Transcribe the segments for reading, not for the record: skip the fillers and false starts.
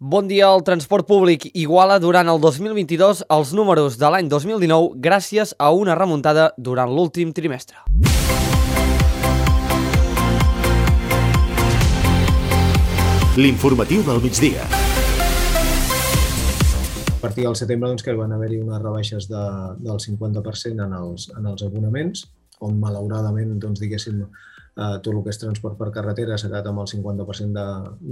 Bon dia. El transport públic iguala durant el 2022 els números de l'any 2019 gràcies a una remuntada durant l'últim trimestre. L'informatiu del migdia. A partir del setembre que van haver-hi unes rebaixes del 50% en els abonaments, on malauradament, diguéssim, tot el que és transport per carretera s'ha quedat amb el 50%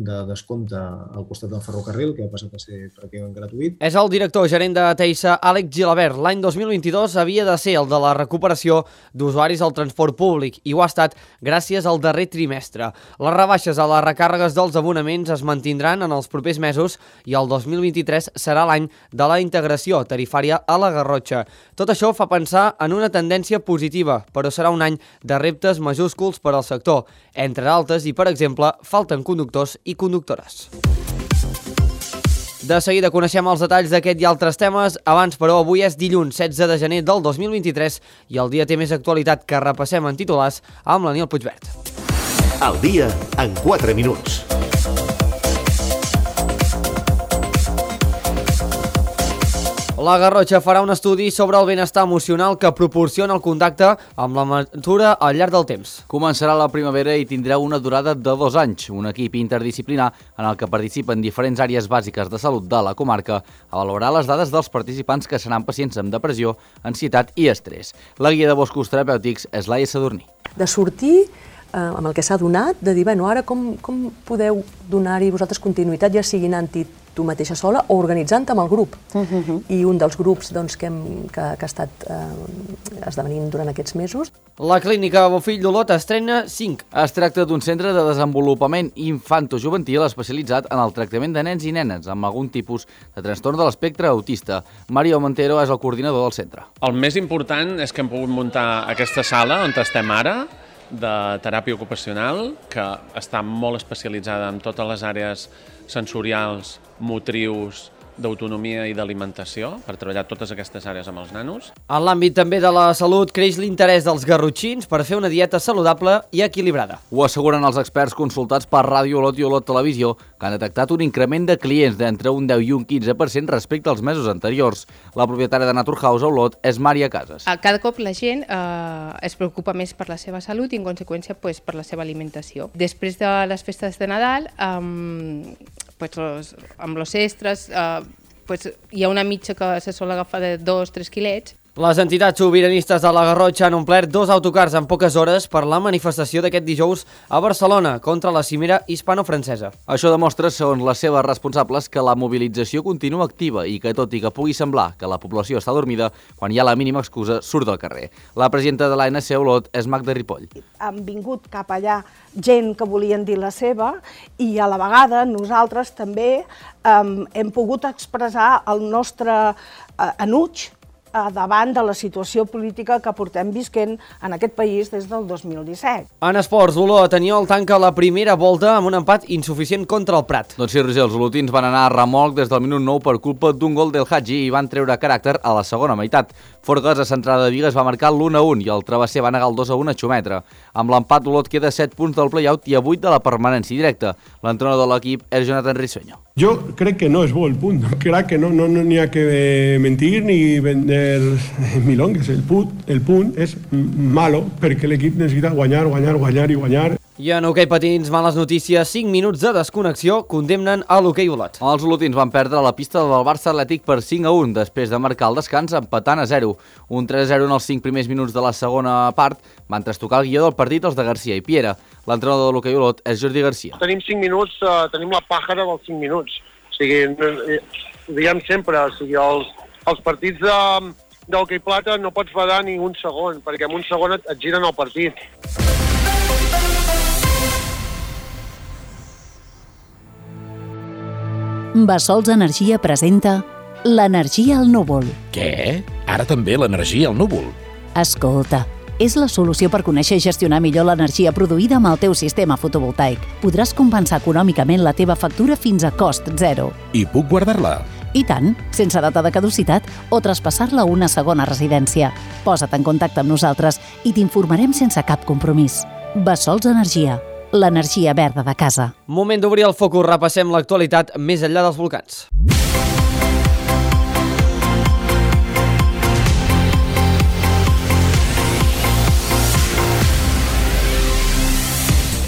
de descompte al costat del ferrocarril, que ha passat a ser pràcticament gratuït. És el director gerent de Teisa, Àlex Gilabert. L'any 2022 havia de ser el de la recuperació d'usuaris al transport públic i ho ha estat gràcies al darrer trimestre. Les rebaixes a les recàrregues dels abonaments es mantindran en els propers mesos i el 2023 serà l'any de la integració tarifària a la Garrotxa. Tot això fa pensar en una tendència positiva, però serà un any de reptes majúsculs per al sector, entre altres, i per exemple, falten conductors i conductores. De seguida coneixem els detalls d'aquest i altres temes. Abans, però, avui és dilluns 16 de gener del 2023 i el dia té més actualitat que repassem en titulars amb l'Aniel Puigvert. El dia en 4 minuts. La Garrotxa farà un estudi sobre el benestar emocional que proporciona el contacte amb la natura al llarg del temps. Començarà la primavera i tindrà una durada de 2 anys. Un equip interdisciplinar en el que participen diferents àrees bàsiques de salut de la comarca a valorar les dades dels participants que seran pacients amb depressió, ansietat i estrès. La guia de boscos terapèutics és Laia Sadurní. De sortir amb el que s'ha donat, de dir, bueno, ara com podeu donar-hi vosaltres continuïtat, ja sigui anant-hi tu mateixa sola o organitzant-te amb el grup. I un dels grups que ha estat esdevenint durant aquests mesos. La clínica Bofill d'Olot estrena 5. Es tracta d'un centre de desenvolupament infantojuvenil especialitzat en el tractament de nens i nenes amb algun tipus de trastorn de l'espectre autista. Mario Montero és el coordinador del centre. El més important és que hem pogut muntar aquesta sala on estem ara, de teràpia ocupacional, que està molt especialitzada en totes les àrees sensorials, motrius, d'autonomia i d'alimentació, per treballar totes aquestes àrees amb els nanos. En l'àmbit també de la salut creix l'interès dels garrotxins per fer una dieta saludable i equilibrada. Ho asseguren els experts consultats per Ràdio Olot i Olot Televisió, que han detectat un increment de clients d'entre un 10 i un 15% respecte als mesos anteriors. La propietària de Naturhaus a Olot és Mària Casas. Cada cop la gent es preocupa més per la seva salut i, en conseqüència, per la seva alimentació. Després de les festes de Nadal, amb los extras, hi ha una mitja que se sol agafar de 2-3 quilets. Les entitats sobiranistes de la Garrotxa han omplert 2 autocars en poques hores per la manifestació d'aquest dijous a Barcelona contra la cimera hispano-francesa. Això demostra, segons les seves responsables, que la mobilització continua activa i que, tot i que pugui semblar que la població està dormida, quan hi ha la mínima excusa surt del carrer. La presidenta de l'ANC Olot és Magda Ripoll. Han vingut cap allà gent que volien dir la seva i a la vegada nosaltres també hem pogut expressar el nostre enuig davant de la situació política que portem visquent en aquest país des del 2017. En esports, Olot Aniol tanca la primera volta amb un empat insuficient contra el Prat. Doncs sí, Roger, els olotins van anar a remolc des del minut 9 per culpa d'un gol del Hadji i van treure caràcter a la segona meitat. Forgues, a centrada de Vigues, va marcar l'1-1 i el Travesser va negar el 2-1 a Xumetra. Amb l'empat, Olot queda 7 punts del play-out i a 8 de la permanència directa. L'entrenador de l'equip és Jonathan Risueño. Yo creo que no es bo el punt, crec que no n'hi ha que mentir ni vender milongues. El punt és malo perquè l'equip necessita guanyar i guanyar. I en hoquei patins, males notícies, 5 minuts de desconnexió condemnen a l'hoquei Olot. Els olotins van perdre la pista del Barça Atlètic per 5-1 després de marcar el descans empatant a 0. Un 3-0 en els 5 primers minuts de la segona part van trastocar el guió del partit els de Garcia i Piera. L'entrenador de l'hoquei Olot és Jordi Garcia. Tenim 5 minuts, tenim la pàjara dels 5 minuts. O sigui, diguem sempre, els partits d'hoquei plata no pots badar ni un segon, perquè en un segon et giren el partit. Bassols Energia presenta l'energia al núvol. Què? Ara també l'energia al núvol? Escolta, és la solució per conèixer i gestionar millor l'energia produïda amb el teu sistema fotovoltaic. Podràs compensar econòmicament la teva factura fins a cost zero. I puc guardar-la? I tant, sense data de caducitat o traspassar-la a una segona residència. Posa't en contacte amb nosaltres i t'informarem sense cap compromís. Bassols Energia. l'energia verda de casa. Moment d'obrir el focus, repassem l'actualitat més enllà dels volcans.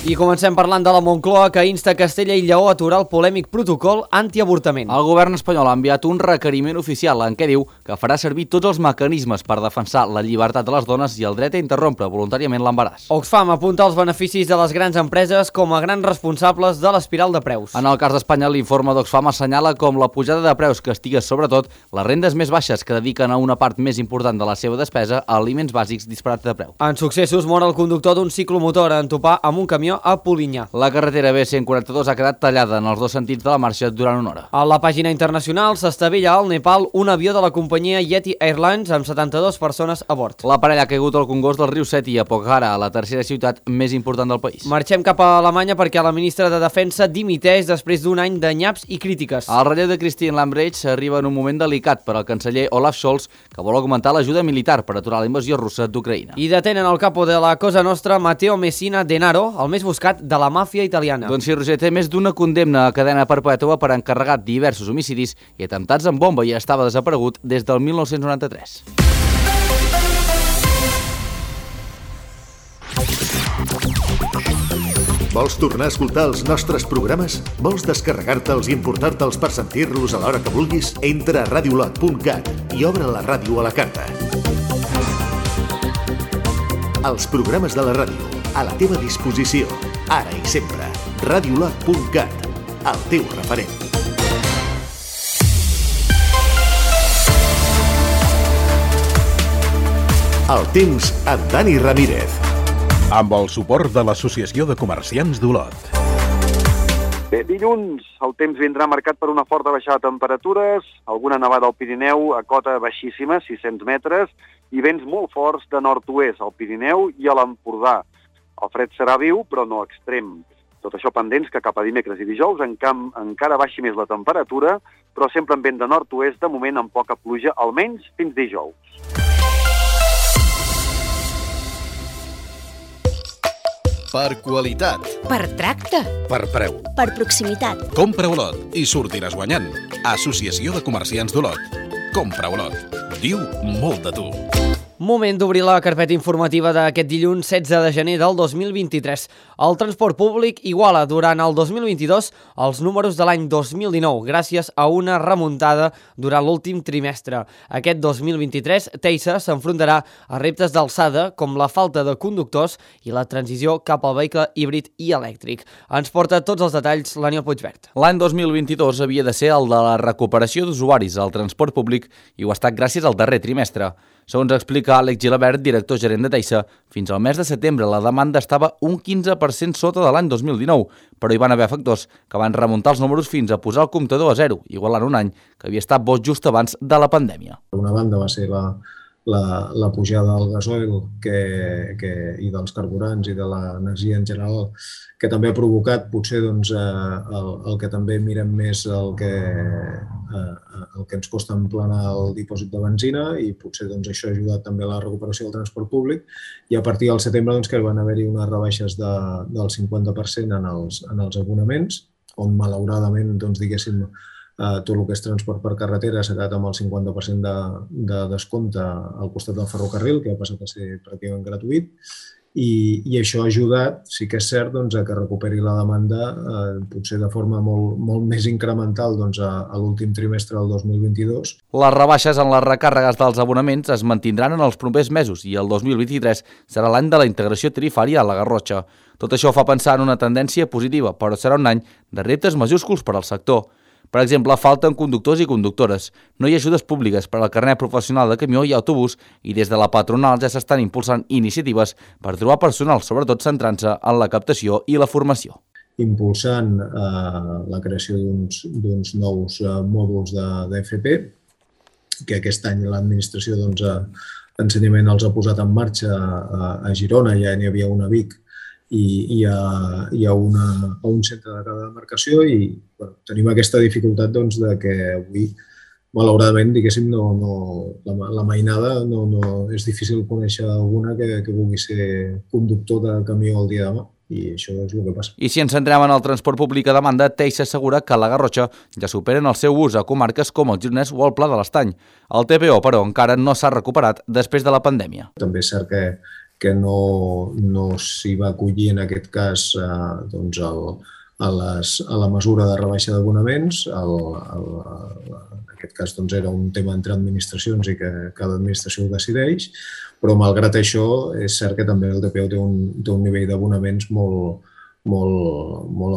I comencem parlant de la Moncloa, que insta Castella i Lleó a aturar el polèmic protocol antiavortament. El govern espanyol ha enviat un requeriment oficial en què diu que farà servir tots els mecanismes per defensar la llibertat de les dones i el dret a interrompre voluntàriament l'embaràs. Oxfam apunta els beneficis de les grans empreses com a grans responsables de l'espiral de preus. En el cas d'Espanya, l'informe d'Oxfam assenyala com la pujada de preus castiga sobretot les rendes més baixes que dediquen a una part més important de la seva despesa a aliments bàsics disparats de preu. En successos, mor el conductor d'un ciclomotor en topar amb un camió a Polinyà. La carretera B142 ha quedat tallada en els dos sentits de la marxa durant una hora. A la pàgina internacional s'estavella al Nepal un avió de la companyia Yeti Airlines amb 72 persones a bord. L'aparell ha caigut al congost del riu Seti a Pokhara, la tercera ciutat més important del país. Marxem cap a Alemanya perquè la ministra de Defensa dimiteix després d'un any de nyaps i crítiques. El relleu de Christine Lambrecht arriba en un moment delicat per al canceller Olaf Scholz, que vol augmentar l'ajuda militar per aturar la invasió russa d'Ucraïna. I detenen el capo de la Cosa Nostra, Matteo Messina Denaro, el més buscat de la màfia italiana. Doncs sí, Roger, té més d'una condemna a cadena perpètua per encarregar diversos homicidis i atemptats amb bomba i estava desaparegut des del 1993. Vols tornar a escoltar els nostres programes? Vols descarregar-te'ls i importar-te'ls per sentir-los a l'hora que vulguis? Entra a radiolot.cat i obre la ràdio a la carta. Els programes de la ràdio, a la teva disposició, ara i sempre. Radiolot.cat, el teu referent. El temps amb Dani Ramírez. Amb el suport de l'Associació de Comerciants d'Olot. Bé, dilluns el temps vindrà marcat per una forta baixada de temperatures, alguna nevada al Pirineu a cota baixíssima, 600 metres, i vents molt forts de nord-oest al Pirineu i a l'Empordà. El fred serà viu, però no extrem. Tot això pendents que cap a dimecres i dijous encara baixi més la temperatura, però sempre amb vent de nord-oest, de moment amb poca pluja, almenys fins dijous. Per qualitat. Per tracte. Per preu. Per proximitat. Compra Olot i sortiràs guanyant. Associació de Comerciants d'Olot. Compra Olot. Diu molt de tu. Moment d'obrir la carpeta informativa d'aquest dilluns 16 de gener del 2023. El transport públic iguala durant el 2022 els números de l'any 2019 gràcies a una remuntada durant l'últim trimestre. Aquest 2023, Teisa s'enfrontarà a reptes d'alçada com la falta de conductors i la transició cap al vehicle híbrid i elèctric. Ens porta tots els detalls l'Aniol Puigvert. L'any 2022 havia de ser el de la recuperació d'usuaris al transport públic i ho ha estat gràcies al darrer trimestre. Segons explica Àlex Gilabert, director gerent de Teisa, fins al mes de setembre la demanda estava un 15% sota de l'any 2019, però hi van haver factors que van remuntar els números fins a posar el comptador a zero, igualant un any que havia estat bo just abans de la pandèmia. Una banda va ser la pujada del gasoil i dels carburants i de l'energia en general, que també ha provocat potser doncs, el que també mirem més el que ens costa emplenar el dipòsit de benzina i potser doncs, això ha ajudat també a la recuperació del transport públic i a partir del setembre doncs, que van haver-hi unes rebaixes del 50% en els abonaments, on malauradament doncs, diguéssim, tot el que és transport per carretera s'ha quedat amb el 50% de descompte al costat del ferrocarril, que ha passat a ser pràcticament gratuït, i això ha ajudat, sí que és cert, doncs, a que recuperi la demanda potser de forma molt més incremental doncs, a l'últim trimestre del 2022. Les rebaixes en les recàrregues dels abonaments es mantindran en els propers mesos i el 2023 serà l'any de la integració tarifària a la Garrotxa. Tot això fa pensar en una tendència positiva, però serà un any de reptes majúsculs per al sector. Per exemple, falten conductors i conductores. No hi ha ajudes públiques per al carnet professional de camió i autobús i des de la patronal ja s'estan impulsant iniciatives per trobar personal, sobretot centrant-se en la captació i la formació. Impulsant la creació d'uns nous mòduls d'FP, que aquest any l'administració d'ensenyament els ha posat en marxa a Girona, ja n'hi havia una a Vic, i hi ha un centre de cada demarcació i tenim aquesta dificultat de que avui, malauradament, diguéssim, la mainada és difícil conèixer alguna que vulgui ser conductor de camió el dia de demà. I això és el que passa. I si ens centrem en el transport públic a demanda, Teix assegura que a la Garrotxa ja superen el seu ús a comarques com el Gironès o el Pla de l'Estany. El TPO, però, encara no s'ha recuperat després de la pandèmia. També és cert que no s'hi va acollir en aquest cas doncs a la mesura de rebaixa d'abonaments. En aquest cas doncs, era un tema entre administracions i que cada administració ho decideix, però malgrat això és cert que també el TPO té un nivell d'abonaments molt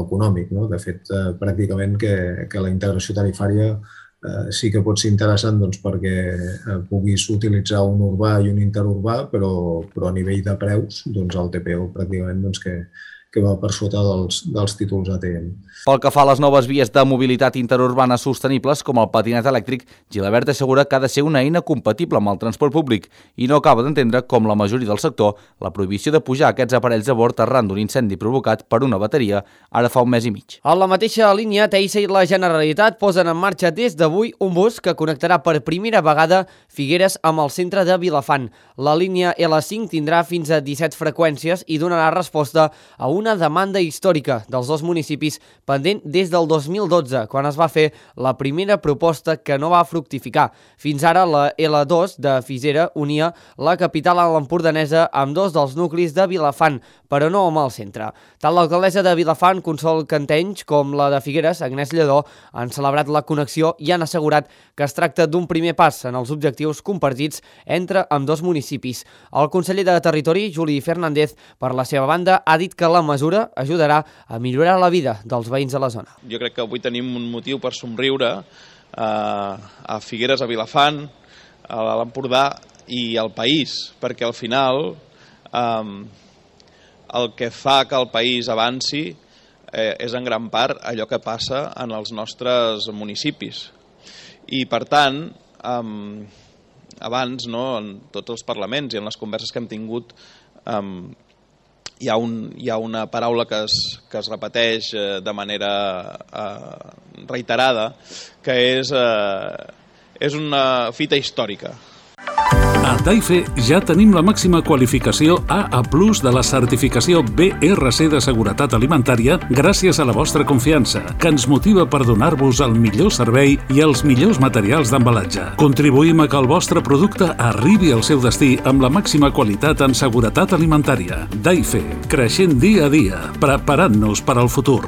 econòmic. No? De fet, pràcticament que la integració tarifària sí que pot ser interessant doncs, perquè puguis utilitzar un urbà i un interurbà, però a nivell de preus doncs, el TPO pràcticament doncs, que va per sota dels títols ATM. Pel que fa a les noves vies de mobilitat interurbana sostenibles, com el patinet elèctric, Gilabert assegura que ha de ser una eina compatible amb el transport públic i no acaba d'entendre, com la majoria del sector, la prohibició de pujar aquests aparells a bord arran d'un incendi provocat per una bateria ara fa un mes i mig. A la mateixa línia, Teissa i la Generalitat posen en marxa des d'avui un bus que connectarà per primera vegada Figueres amb el centre de Vilafant. La línia L5 tindrà fins a 17 freqüències i donarà resposta a una demanda històrica dels dos municipis pendent des del 2012, quan es va fer la primera proposta que no va fructificar. Fins ara, la L2 de Fisera unia la capital empordanesa amb dos dels nuclis de Vilafant, però no amb el centre. Tant l'alcaldessa de Vilafant, Consol Cantenys, com la de Figueres, Agnès Lledó, han celebrat la connexió i han assegurat que es tracta d'un primer pas en els objectius compartits entre ambdós municipis. El conseller de Territori, Juli Fernández, per la seva banda, ha dit que la mesura ajudarà a millorar la vida dels veïns de la zona. Jo crec que avui tenim un motiu per somriure a Figueres, a Vilafant, a l'Empordà i al país, perquè al final el que fa que el país avanci és en gran part allò que passa en els nostres municipis. I per tant, abans, en tots els parlaments i en les converses que hem tingut, hi ha una paraula que es repeteix de manera reiterada, que és una fita històrica. A Taife ja tenim la màxima qualificació AA+ de la certificació BRC de seguretat alimentària gràcies a la vostra confiança, que ens motiva per donar-vos el millor servei i els millors materials d'embalatge. Contribuïm a que el vostre producte arribi al seu destí amb la màxima qualitat en seguretat alimentària. Taife, creixent dia a dia, preparant-nos per al futur.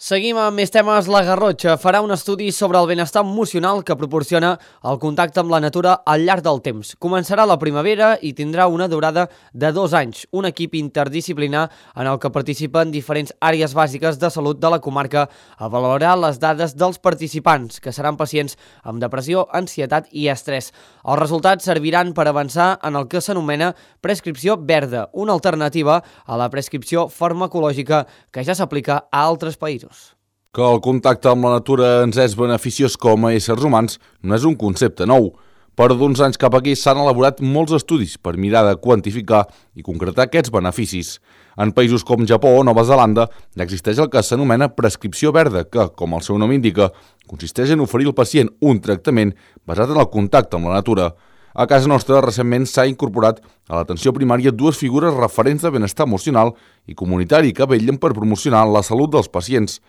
Seguim amb més temes. La Garrotxa farà un estudi sobre el benestar emocional que proporciona el contacte amb la natura al llarg del temps. Començarà la primavera i tindrà una durada de 2 anys. Un equip interdisciplinar en el que participen diferents àrees bàsiques de salut de la comarca avaluarà les dades dels participants, que seran pacients amb depressió, ansietat i estrès. Els resultats serviran per avançar en el que s'anomena prescripció verda, una alternativa a la prescripció farmacològica que ja s'aplica a altres països. Que el contacte amb la natura ens és beneficiós com a éssers humans no és un concepte nou. Per d'uns anys cap aquí s'han elaborat molts estudis per mirar de quantificar i concretar aquests beneficis. En països com Japó o Nova Zelanda ja existeix el que s'anomena prescripció verda, que, com el seu nom indica, consisteix en oferir al pacient un tractament basat en el contacte amb la natura. A casa nostra, recentment s'ha incorporat a l'atenció primària 2 figures referents de benestar emocional i comunitari que vetllen per promocionar la salut dels pacients.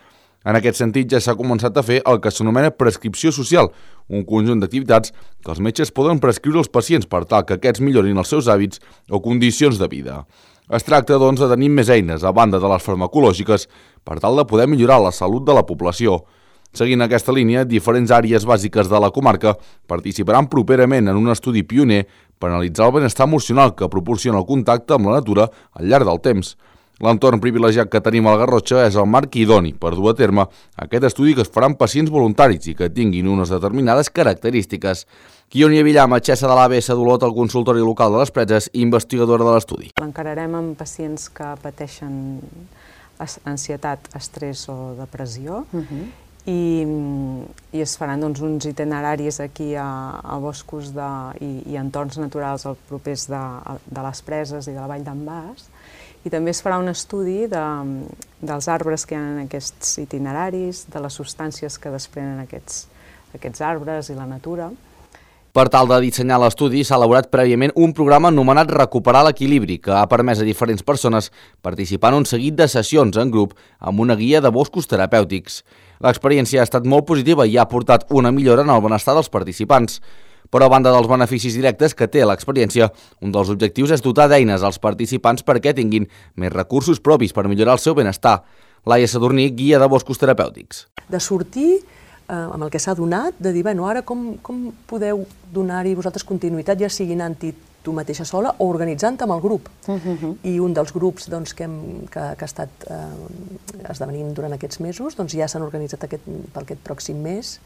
En aquest sentit, ja s'ha començat a fer el que s'anomena prescripció social, un conjunt d'activitats que els metges poden prescriure als pacients per tal que aquests millorin els seus hàbits o condicions de vida. Es tracta, doncs, de tenir més eines, a banda de les farmacològiques, per tal de poder millorar la salut de la població. Seguint aquesta línia, diferents àrees bàsiques de la comarca participaran properament en un estudi pioner per analitzar el benestar emocional que proporciona el contacte amb la natura al llarg del temps. L'entorn privilegiat que tenim a la Garrotxa és el marc idoni per dur a terme aquest estudi que es farà amb pacients voluntaris i que tinguin unes determinades característiques. Ionia Villar, metgessa de l'ABS d'Olot al consultori local de les Preses i investigadora de l'estudi. L'encararem amb pacients que pateixen ansietat, estrès o depressió i es faran uns itineraris aquí a boscos i entorns naturals propers de les Preses i de la Vall d'en Bas. I també es farà un estudi dels arbres que hi ha en aquests itineraris, de les substàncies que desprenen aquests arbres i la natura. Per tal de dissenyar l'estudi, s'ha elaborat prèviament un programa anomenat Recuperar l'Equilibri, que ha permès a diferents persones participar en un seguit de sessions en grup amb una guia de boscos terapèutics. L'experiència ha estat molt positiva i ha portat una millora en el benestar dels participants. Però a banda dels beneficis directes que té l'experiència, un dels objectius és dotar d'eines als participants perquè tinguin més recursos propis per millorar el seu benestar. Laia Sadurní, guia de boscos terapèutics. De sortir amb el que s'ha donat, de dir, bueno, ara com podeu donar-hi vosaltres continuïtat, ja sigui anant-hi tu mateixa sola o organitzant-te amb el grup. I un dels grups que ha estat esdevenint durant aquests mesos ja s'han organitzat per aquest pròxim mes,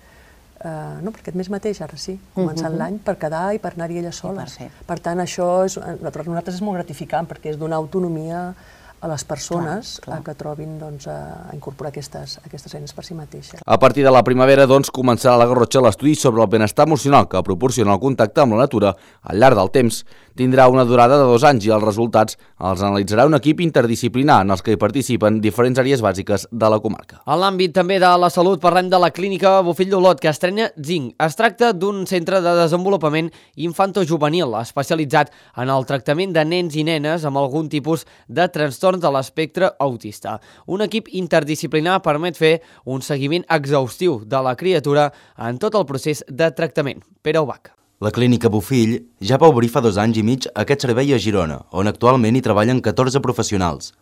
no, per aquest mes mateix, ara sí, començant l'any, per quedar i per anar-hi elles soles. Per tant, això per nosaltres és molt gratificant perquè és donar autonomia a les persones que trobin a incorporar aquestes eines per si mateixes. A partir de la primavera, començarà a la Garrotxa l'estudi sobre el benestar emocional que proporciona el contacte amb la natura al llarg del temps. Tindrà una durada de 2 anys i els resultats els analitzarà un equip interdisciplinar en els que hi participen diferents àrees bàsiques de la comarca. En l'àmbit també de la salut parlem de la clínica Bofill d'Olot, que estrena Zinc. Es tracta d'un centre de desenvolupament infantojuvenil especialitzat en el tractament de nens i nenes amb algun tipus de trastorns de l'espectre autista. Un equip interdisciplinar permet fer un seguiment exhaustiu de la criatura en tot el procés de tractament. Pere Ubach. La clínica Bofill ja va obrir fa 2 anys i mig aquest servei a Girona, on actualment hi treballen 14 professionals.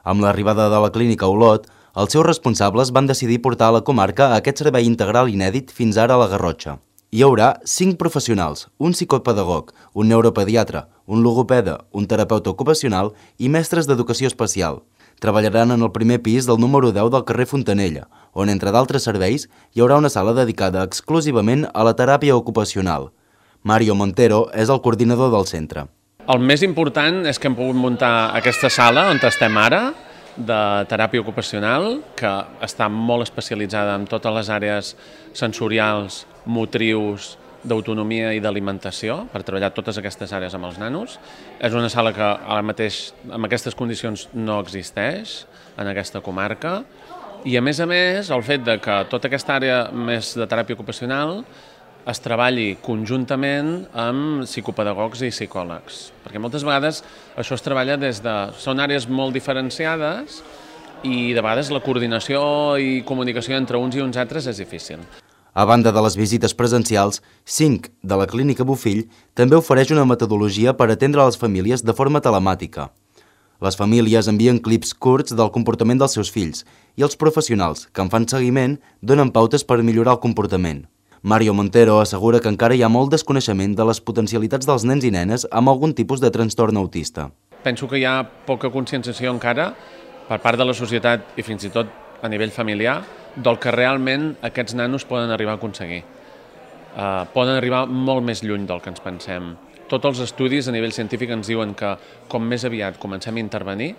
Amb l'arribada de la clínica a Olot, els seus responsables van decidir portar a la comarca aquest servei integral inèdit fins ara a la Garrotxa. Hi haurà 5 professionals, un psicopedagog, un neuropediatre, un logopeda, un terapeuta ocupacional i mestres d'educació especial. Treballaran en el primer pis del número 10 del carrer Fontanella, on, entre d'altres serveis, hi haurà una sala dedicada exclusivament a la teràpia ocupacional. Mario Montero és el coordinador del centre. El més important és que hem pogut muntar aquesta sala on estem ara, de teràpia ocupacional, que està molt especialitzada en totes les àrees sensorials, motrius, d'autonomia i d'alimentació, per treballar totes aquestes àrees amb els nanos. És una sala que ara mateix, amb aquestes condicions, no existeix en aquesta comarca. I a més, el fet de que tota aquesta àrea més de teràpia ocupacional es treballi conjuntament amb psicopedagogs i psicòlegs. Perquè moltes vegades això es treballa són àrees molt diferenciades i de vegades la coordinació i comunicació entre uns i uns altres és difícil. A banda de les visites presencials, 5 de la clínica Bofill també ofereix una metodologia per atendre les famílies de forma telemàtica. Les famílies envien clips curts del comportament dels seus fills i els professionals que en fan seguiment donen pautes per millorar el comportament. Mario Montero assegura que encara hi ha molt desconeixement de les potencialitats dels nens i nenes amb algun tipus de trastorn autista. Penso que hi ha poca conscienciació encara per part de la societat i fins i tot a nivell familiar del que realment aquests nanos poden arribar a aconseguir. Poden arribar molt més lluny del que ens pensem. Tots els estudis a nivell científic ens diuen que com més aviat comencem a intervenir,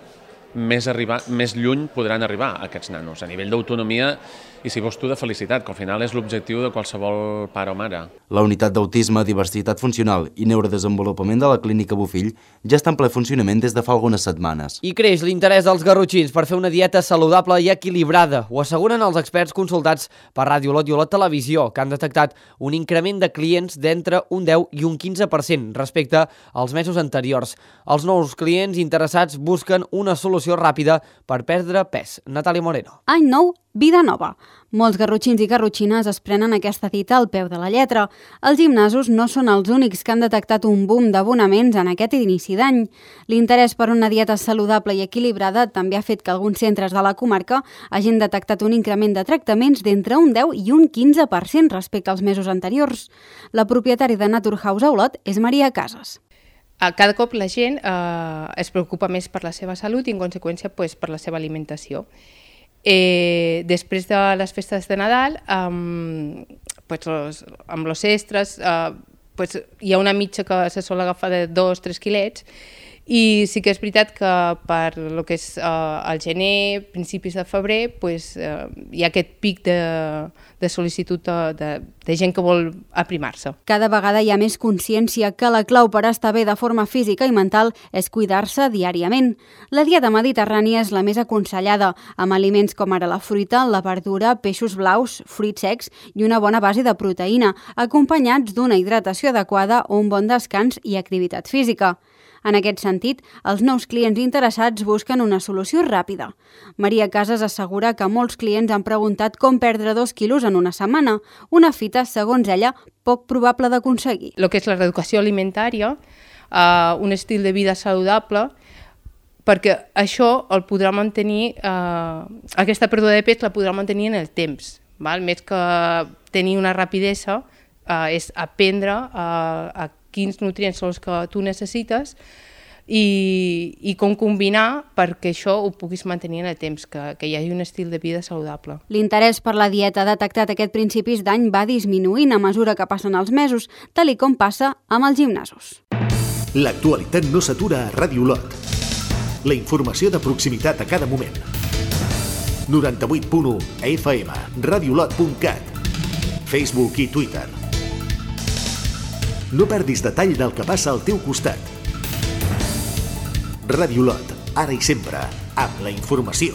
més lluny podran arribar aquests nanos, a nivell d'autonomia i, si vols tu, de felicitat, que al final és l'objectiu de qualsevol pare o mare. La unitat d'autisme, diversitat funcional i neurodesenvolupament de la clínica Bofill ja està en ple funcionament des de fa algunes setmanes. I creix l'interès dels garrotxins per fer una dieta saludable i equilibrada. Ho asseguren els experts consultats per Ràdio Olot i Olot Televisió, que han detectat un increment de clients d'entre un 10 i un 15% respecte als mesos anteriors. Els nous clients interessats busquen una solució ràpida per perdre pes. Natàlia Moreno. Any nou, vida nova. Molts garrotxins i garrotxines es prenen aquesta dita al peu de la lletra. Els gimnasos no són els únics que han detectat un boom d'abonaments en aquest inici d'any. L'interès per una dieta saludable i equilibrada també ha fet que alguns centres de la comarca hagin detectat un increment de tractaments d'entre un 10 i un 15% respecte als mesos anteriors. La propietària de Naturhaus a Olot és Maria Casas. Cada cop la gent es preocupa més per la seva salut i, en conseqüència, per la seva alimentació. Després de les festes de Nadal, amb els extres, hi ha una mitja que se sol agafar de 2-3 quilets I sí que és veritat que per lo que és el gener, principis de febrer, hi ha aquest pic de sol·licitud de gent que vol aprimar-se. Cada vegada hi ha més consciència que la clau per estar bé de forma física i mental és cuidar-se diàriament. La dieta mediterrània és la més aconsellada, amb aliments com ara la fruita, la verdura, peixos blaus, fruits secs i una bona base de proteïna, acompanyats d'una hidratació adequada o un bon descans i activitat física. En aquest sentit, els nous clients interessats busquen una solució ràpida. Maria Casas assegura que molts clients han preguntat com perdre 2 quilos en una setmana, una fita, segons ella, poc probable d'aconseguir. El que és la reeducació alimentària, un estil de vida saludable, perquè això el podrà mantenir, aquesta pèrdua de pes la podrà mantenir en el temps. Més que tenir una rapidesa, és aprendre a quins nutrients són els que tu necessites i com combinar perquè això ho puguis mantenir en el temps, que hi hagi un estil de vida saludable. L'interès per la dieta detectat aquest principis d'any va disminuint a mesura que passen els mesos, tal i com passa amb els gimnasos. L'actualitat no s'atura a Ràdio Olot. La informació de proximitat a cada moment. 98.1 FM, radioolot.cat, Facebook i Twitter. No perdis detall del que passa al teu costat. Ràdio Olot, ara i sempre, amb la informació.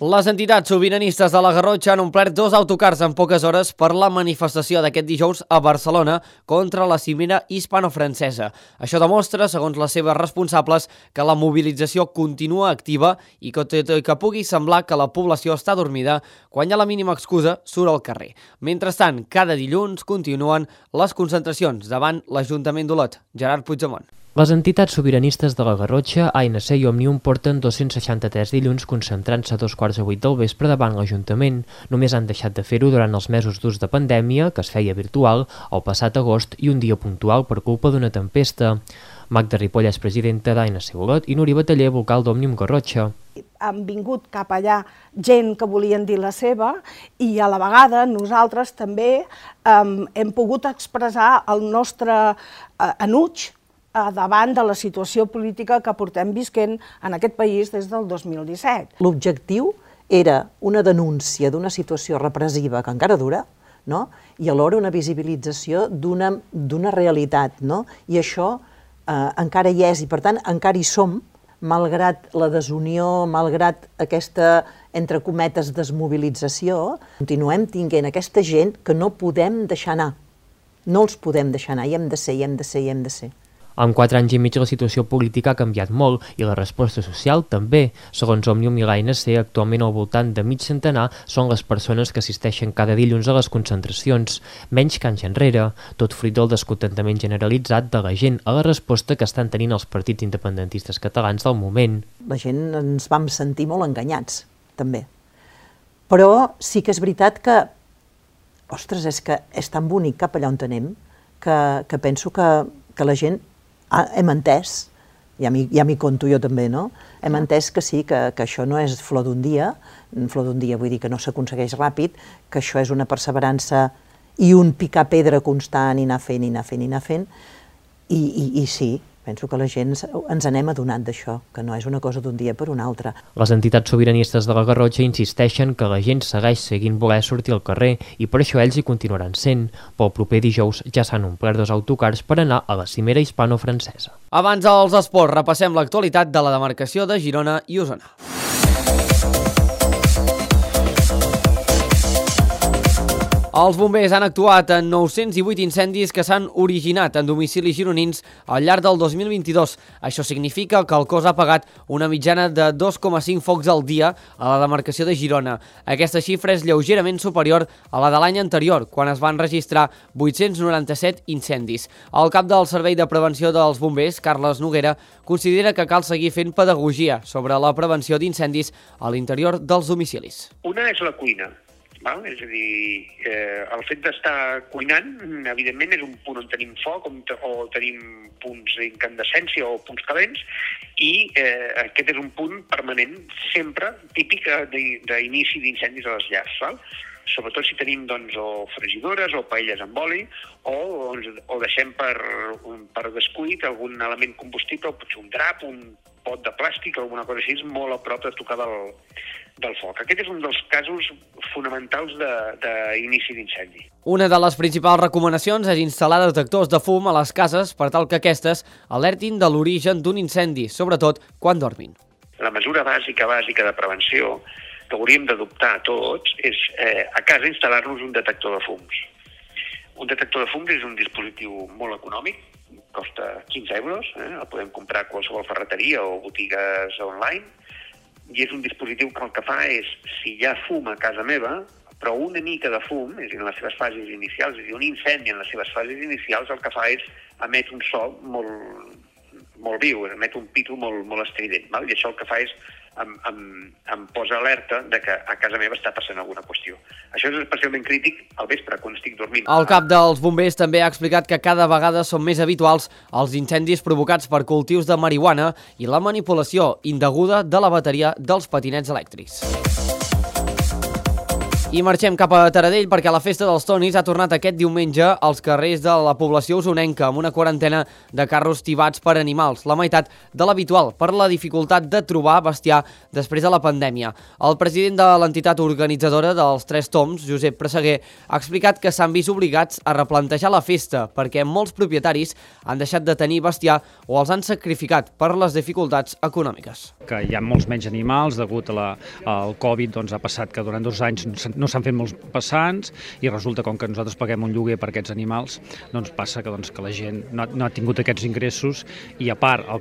Les entitats sobiranistes de la Garrotxa han omplert 2 autocars en poques hores per la manifestació d'aquest dijous a Barcelona contra la cimera hispano-francesa. Això demostra, segons les seves responsables, que la mobilització continua activa i que pugui semblar que la població està dormida, quan hi ha la mínima excusa surt al carrer. Mentrestant, cada dilluns continuen les concentracions davant l'Ajuntament d'Olot. Gerard Puigdemont. Les entitats sobiranistes de la Garrotxa, ANC i Òmnium porten 263 dilluns concentrant-se a 7:15 del vespre davant l'Ajuntament. Només han deixat de fer-ho durant els mesos durs de pandèmia, que es feia virtual, el passat agost i un dia puntual per culpa d'una tempesta. Magda Ripoll és presidenta d'ANC Olot i Núria Bataller, vocal d'Òmnium Garrotxa. Han vingut cap allà gent que volien dir la seva i a la vegada nosaltres també hem pogut expressar el nostre enuig davant de la situació política que portem visquent en aquest país des del 2017. L'objectiu era una denúncia d'una situació repressiva que encara dura, no? I alhora una visibilització d'una realitat, no? I això encara hi és i per tant encara hi som, malgrat la desunió, malgrat aquesta, entre cometes, desmobilització, continuem tinguent aquesta gent que no podem deixar anar. No els podem deixar anar, hi hem de ser, hi hem de ser, hi hem de ser. En 4 anys i mig la situació política ha canviat molt i la resposta social també. Segons Òmnium i l'ANC, actualment al voltant de mig centenar són les persones que assisteixen cada dilluns a les concentracions, menys que anys enrere, tot fruit del descontentament generalitzat de la gent a la resposta que estan tenint els partits independentistes catalans del moment. La gent ens vam sentir molt enganyats, també. Però sí que és veritat que, ostres, és que és tan bonic cap allà on anem que penso que la gent hem entès, ja m'hi conto jo també, no? Hem entès que sí, que això no és flor d'un dia vull dir que no s'aconsegueix ràpid, que això és una perseverança i un picar pedra constant i anar fent, i sí, penso que la gent ens anem adonant d'això, que no és una cosa d'un dia per un altre. Les entitats sobiranistes de la Garrotxa insisteixen que la gent segueix seguint voler sortir al carrer i per això ells hi continuaran sent. Pel proper dijous ja s'han omplert 2 autocars per anar a la cimera hispano-francesa. Abans dels esports, repassem l'actualitat de la demarcació de Girona i Osona. Els bombers han actuat en 908 incendis que s'han originat en domicilis gironins al llarg del 2022. Això significa que el cos ha apagat una mitjana de 2,5 focs al dia a la demarcació de Girona. Aquesta xifra és lleugerament superior a la de l'any anterior, quan es van registrar 897 incendis. El cap del Servei de Prevenció dels Bombers, Carles Noguera, considera que cal seguir fent pedagogia sobre la prevenció d'incendis a l'interior dels domicilis. Una és la cuina. val? És a dir, el fet d'estar cuinant, evidentment, és un punt on tenim foc o tenim punts d'incandescència o punts calents, i aquest és un punt permanent, sempre típic d'inici d'incendis a les llars, val? Sobretot si tenim doncs, o fregidores o paelles amb oli, o deixem per descuit algun element combustible, potser un drap, un pot de plàstic, alguna cosa així, molt a prop de tocar del foc. Aquest és un dels casos fonamentals d'inici d'incendi. Una de les principals recomanacions és instal·lar detectors de fum a les cases per tal que aquestes alertin de l'origen d'un incendi, sobretot quan dormin. La mesura bàsica de prevenció que hauríem d'adoptar tots és a casa instal·lar-nos un detector de fums. Un detector de fums és un dispositiu molt econòmic, costa 15 euros, el podem comprar a qualsevol ferreteria o botigues online, i és un dispositiu que el que fa és, si hi ha fum a casa meva, però una mica de fum, és a dir, en les seves fases inicials, és a dir, un incendi en les seves fases inicials, el que fa és emet un so molt viu, emet un pitu molt estrident, val? I això el que fa és em posa alerta de que a casa meva està passant alguna qüestió. Això és especialment crític al vespre, quan estic dormint. El cap dels bombers també ha explicat que cada vegada són més habituals els incendis provocats per cultius de marihuana i la manipulació indeguda de la bateria dels patinets elèctrics. I marxem cap a Taradell perquè la Festa dels Tonis ha tornat aquest diumenge als carrers de la població usonenca amb una quarantena de carros tibats per animals, la meitat de l'habitual per la dificultat de trobar bestiar després de la pandèmia. El president de l'entitat organitzadora dels Tres Toms, Josep Presseguer, ha explicat que s'han vist obligats a replantejar la festa perquè molts propietaris han deixat de tenir bestiar o els han sacrificat per les dificultats econòmiques. Que hi ha molts menys animals degut al Covid, doncs ha passat que durant 2 anys no s'han fet molts passants i resulta com que nosaltres paguem un lloguer per aquests animals, doncs passa que la gent no ha tingut aquests ingressos i a part el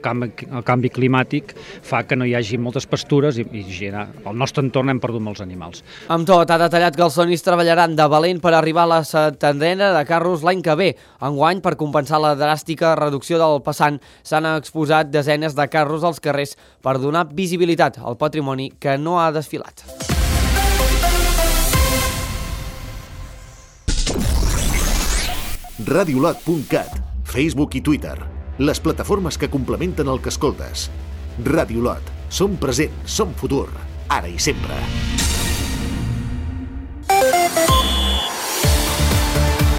canvi climàtic fa que no hi hagi moltes pastures i al nostre entorn hem perdut molts animals. Amb tot, ha detallat que els Tonis treballaran de valent per arribar a la setantena de carros l'any que ve. Enguany, per compensar la dràstica reducció del passant, s'han exposat desenes de carros als carrers per donar visibilitat al patrimoni que no ha desfilat. Radiolot.cat, Facebook i Twitter, les plataformes que complementen el que escoltes. Radiolot, som present, som futur, ara i sempre.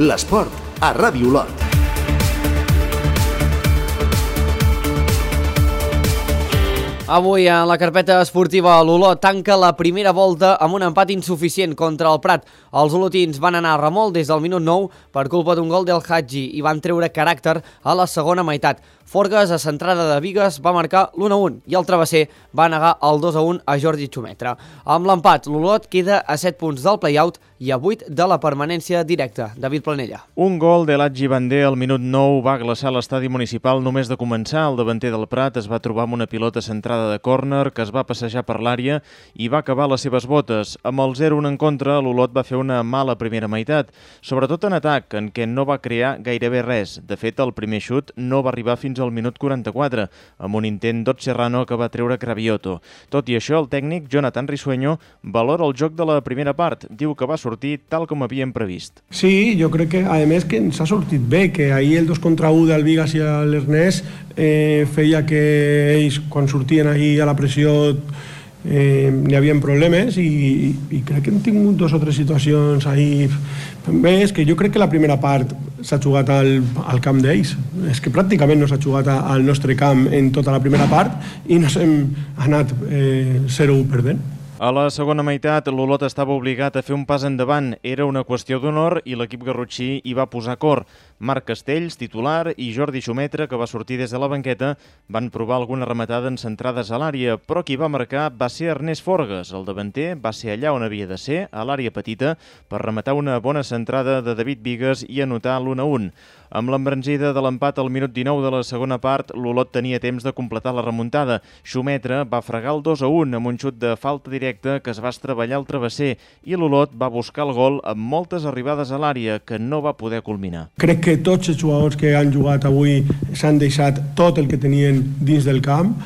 L'esport a Radiolot. Avui, en la carpeta esportiva, l'Olot tanca la primera volta amb un empat insuficient contra el Prat. Els olotins van anar a remolc des del minut 9 per culpa d'un gol del Hadji i van treure caràcter a la segona meitat. Forgues, a centrada de Bigues, va marcar l'1-1 i el travesser va negar el 2-1 a Jordi Xumetra. Amb l'empat, l'Olot queda a 7 punts del play-out i a 8 de la permanència directa. David Planella. Un gol de l'Adji Bandé al minut 9 va glaçar l'estadi municipal només de començar. El davanter del Prat es va trobar amb una pilota centrada de córner que es va passejar per l'àrea i va acabar les seves botes. Amb el 0-1 en contra, l'Olot va fer una mala primera meitat, sobretot en atac, en què no va crear gairebé res. De fet, el primer xut no va arribar fins al minut 44, amb un intent d'Ot Serrano que va treure Cravioto. Tot i això, el tècnic Jonathan Risueño valora el joc de la primera part. Diu que va sortir tal com havíem previst. Sí, jo crec que, a més, que ens ha sortit bé, que ahir el 2 contra 1 del Vigas i l'Ernest feia que ells, quan sortien ahir a la pressió, n'hi havia problemes i crec que hem tingut 2 o 3 situacions ahir. Bé, és que jo crec que la primera part s'ha jugat al camp d'ells. És que pràcticament no s'ha jugat al nostre camp en tota la primera part i nos hem anat 0-1 perdent. A la segona meitat, l'Olot estava obligat a fer un pas endavant. Era una qüestió d'honor i l'equip garrotxí hi va posar cor. Marc Castells, titular, i Jordi Xumetra, que va sortir des de la banqueta, van provar alguna rematada en centrades a l'àrea, però qui va marcar va ser Ernest Forgues. El davanter va ser allà on havia de ser, a l'àrea petita, per rematar una bona centrada de David Bigues i anotar l'1-1. Amb l'embranzida de l'empat al minut 19 de la segona part, l'Olot tenia temps de completar la remuntada. Xumetra va fregar el 2-1 amb un xut de falta directa que es va estreballar al travesser i l'Olot va buscar el gol amb moltes arribades a l'àrea que no va poder culminar. Crec que tots els jugadors que han jugat avui s'han deixat tot el que tenien dins del camp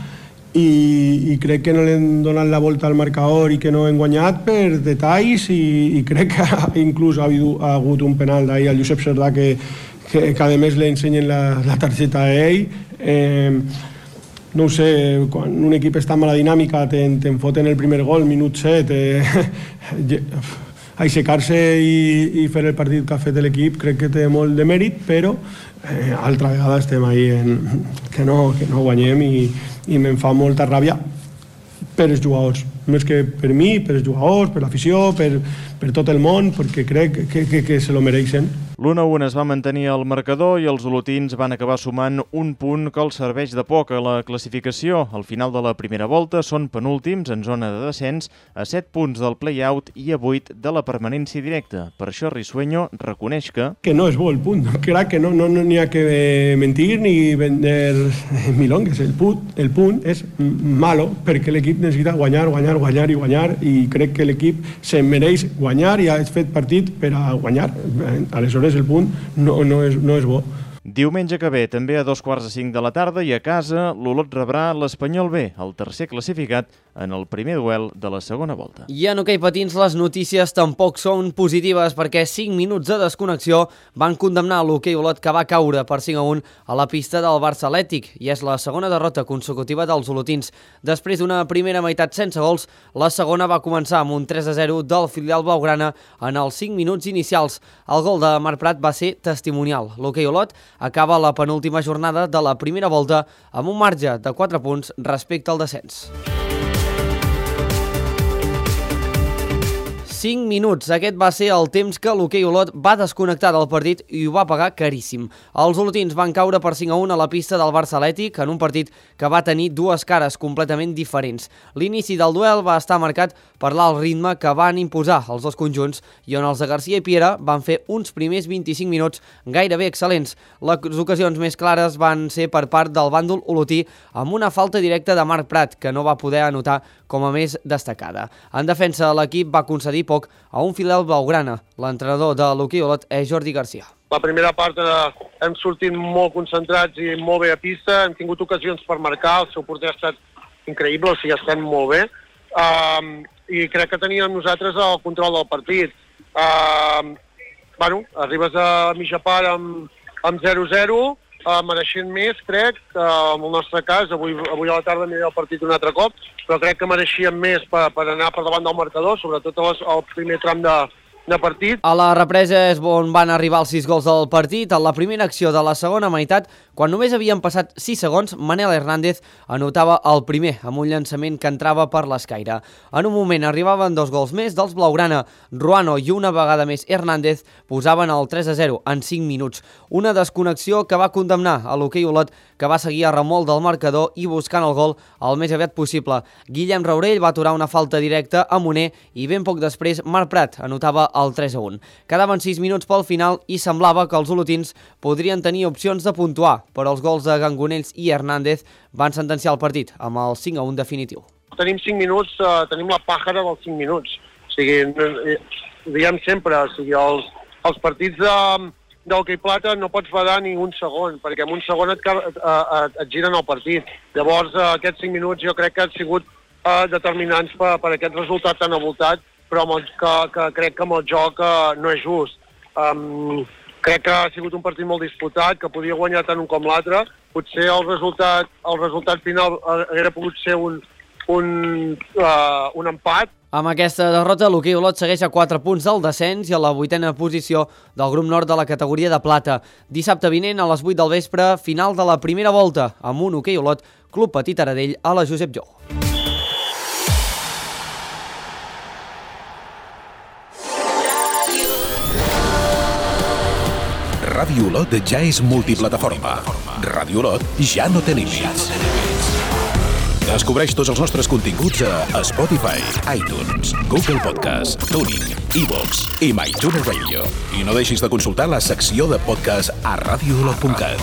i crec que no li han donat la volta al marcador i que no hem guanyat per detalls i crec que inclús ha hagut un penal d'ahir al Josep Cerdà que a més li ensenyen la targeta a ell. No ho sé, quan un equip està en mala dinàmica te'n foten el primer gol, minut 7, aixecar-se i fer el partit que ha fet l'equip crec que té molt de mèrit, però altra vegada estem ahí que no guanyem i me'n fa molta ràbia per els jugadors, més que per mi, per els jugadors, per l'afició, per tot el món, perquè crec que se lo mereixen. L'1-1 es va mantenir al marcador i els olotins van acabar sumant un punt que els serveix de poc a la classificació. Al final de la primera volta són penúltims en zona de descens a 7 punts del play-out i a 8 de la permanència directa. Per això Risueño reconeix que no és bo el punt. Crec que no n'hi ha que mentir ni vender milongues. El punt és malo perquè l'equip necessita guanyar i crec que l'equip se mereix guanyar i ha fet partit per a guanyar. Aleshores el punt no és bo. Diumenge que ve, també a 2:45 de la tarda i a casa, l'Olot rebrà l'Espanyol B, el tercer classificat en el primer duel de la segona volta. I en hoquei patins les notícies tampoc són positives perquè 5 minuts de desconnexió van condemnar l'hoquei Olot que va caure per 5-1 a la pista del Barça Atlètic i és la segona derrota consecutiva dels olotins. Després d'una primera meitat sense gols, la segona va començar amb un 3-0 del filial blaugrana en els 5 minuts inicials. El gol de Marc Prat va ser testimonial. L'hoquei Olot acaba la penúltima jornada de la primera volta amb un marge de 4 punts respecte al descens. 5 minuts. Aquest va ser el temps que l'hoquei Olot va desconnectar del partit i ho va pagar caríssim. Els olotins van caure per 5-1 a la pista del Barça Atlètic en un partit que va tenir dues cares completament diferents. L'inici del duel va estar marcat per l'alt ritme que van imposar els dos conjunts i on els de Garcia i Piera van fer uns primers 25 minuts gairebé excel·lents. Les ocasions més clares van ser per part del bàndol olotí amb una falta directa de Marc Prat que no va poder anotar com a més destacada. En defensa, l'equip va concedir poc a un filial blaugrana. L'entrenador de l'hoquei Olot és Jordi Garcia. La primera part hem sortit molt concentrats i molt bé a pista, hem tingut ocasions per marcar, el seu porter ha estat increïble, o sigui, estem molt bé. I crec que teníem nosaltres el control del partit. Arribes a mitja part amb 0-0, mereixent més, crec, en el nostre cas, avui a la tarda aniré al partit un altre cop, però crec que mereixíem més per anar per davant del marcador, sobretot al primer tram de partit. A la represa és on van arribar els 6 gols del partit. A la primera acció de la segona meitat, quan només havien passat 6 segons, Manel Hernández anotava el primer, amb un llançament que entrava per l'escaire. En un moment arribaven 2 gols més dels blaugrana. Ruano i una vegada més Hernández posaven el 3-0 en 5 minuts. Una desconnexió que va condemnar a l'hoquei Olot, que va seguir a remolc del marcador i buscant el gol el més aviat possible. Guillem Raurell va aturar una falta directa a Moner i ben poc després Marc Prat anotava el 3-1. Quedaven 6 minuts pel final i semblava que els olotins podrien tenir opcions de puntuar, però els gols de Gangonells i Hernández van sentenciar el partit amb el 5-1 definitiu. Tenim 5 minuts, tenim la pàjara dels 5 minuts. O sigui, diguem sempre, o sigui, els partits d'hoquei plata no pots badar ni un segon, perquè en un segon et giren el partit. Llavors, aquests 5 minuts jo crec que han sigut determinants per aquest resultat tan avoltat, però que crec que amb el joc no és just. Crec que ha sigut un partit molt disputat, que podia guanyar tant un com l'altre. Potser el resultat final hauria pogut ser un empat. Amb aquesta derrota, l'hoquei Olot segueix a 4 punts del descens i a la 8a posició del grup nord de la categoria de plata. Dissabte vinent, a les 8 del vespre, final de la primera volta, amb un hoquei Olot, Club Petit Aradell, a la Josep Jou. Ràdio Olot ja és multiplataforma. Ràdio Olot ja no té límits. Descobreix tots els nostres continguts a Spotify, iTunes, Google Podcast, TuneIn, iVoox i MyTuner Radio. I no deixis de consultar la secció de podcast a radioolot.cat.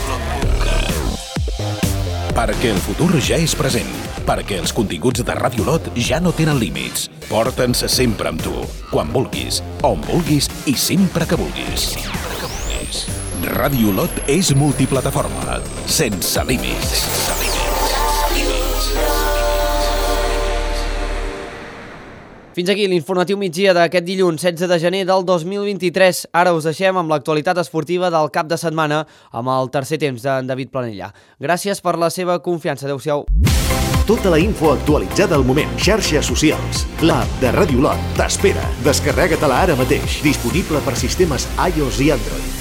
Perquè el futur ja és present. Perquè els continguts de Ràdio Olot ja no tenen límits. Porta'ns sempre amb tu, quan vulguis, on vulguis i sempre que vulguis. Ràdio Olot és multiplataforma, sense límits. Fins aquí l'informatiu migdia d'aquest dilluns 16 de gener del 2023. Ara us deixem amb l'actualitat esportiva del cap de setmana amb el tercer temps d'en David Planella. Gràcies per la seva confiança. Adéu-siau. Tota la info actualitzada al moment. Xarxes socials. L'app de Ràdio Lot t'espera. Descarrega-te-la ara mateix. Disponible per sistemes iOS i Android.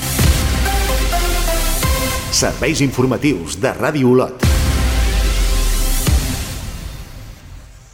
Serveis informatius de Ràdio Lot.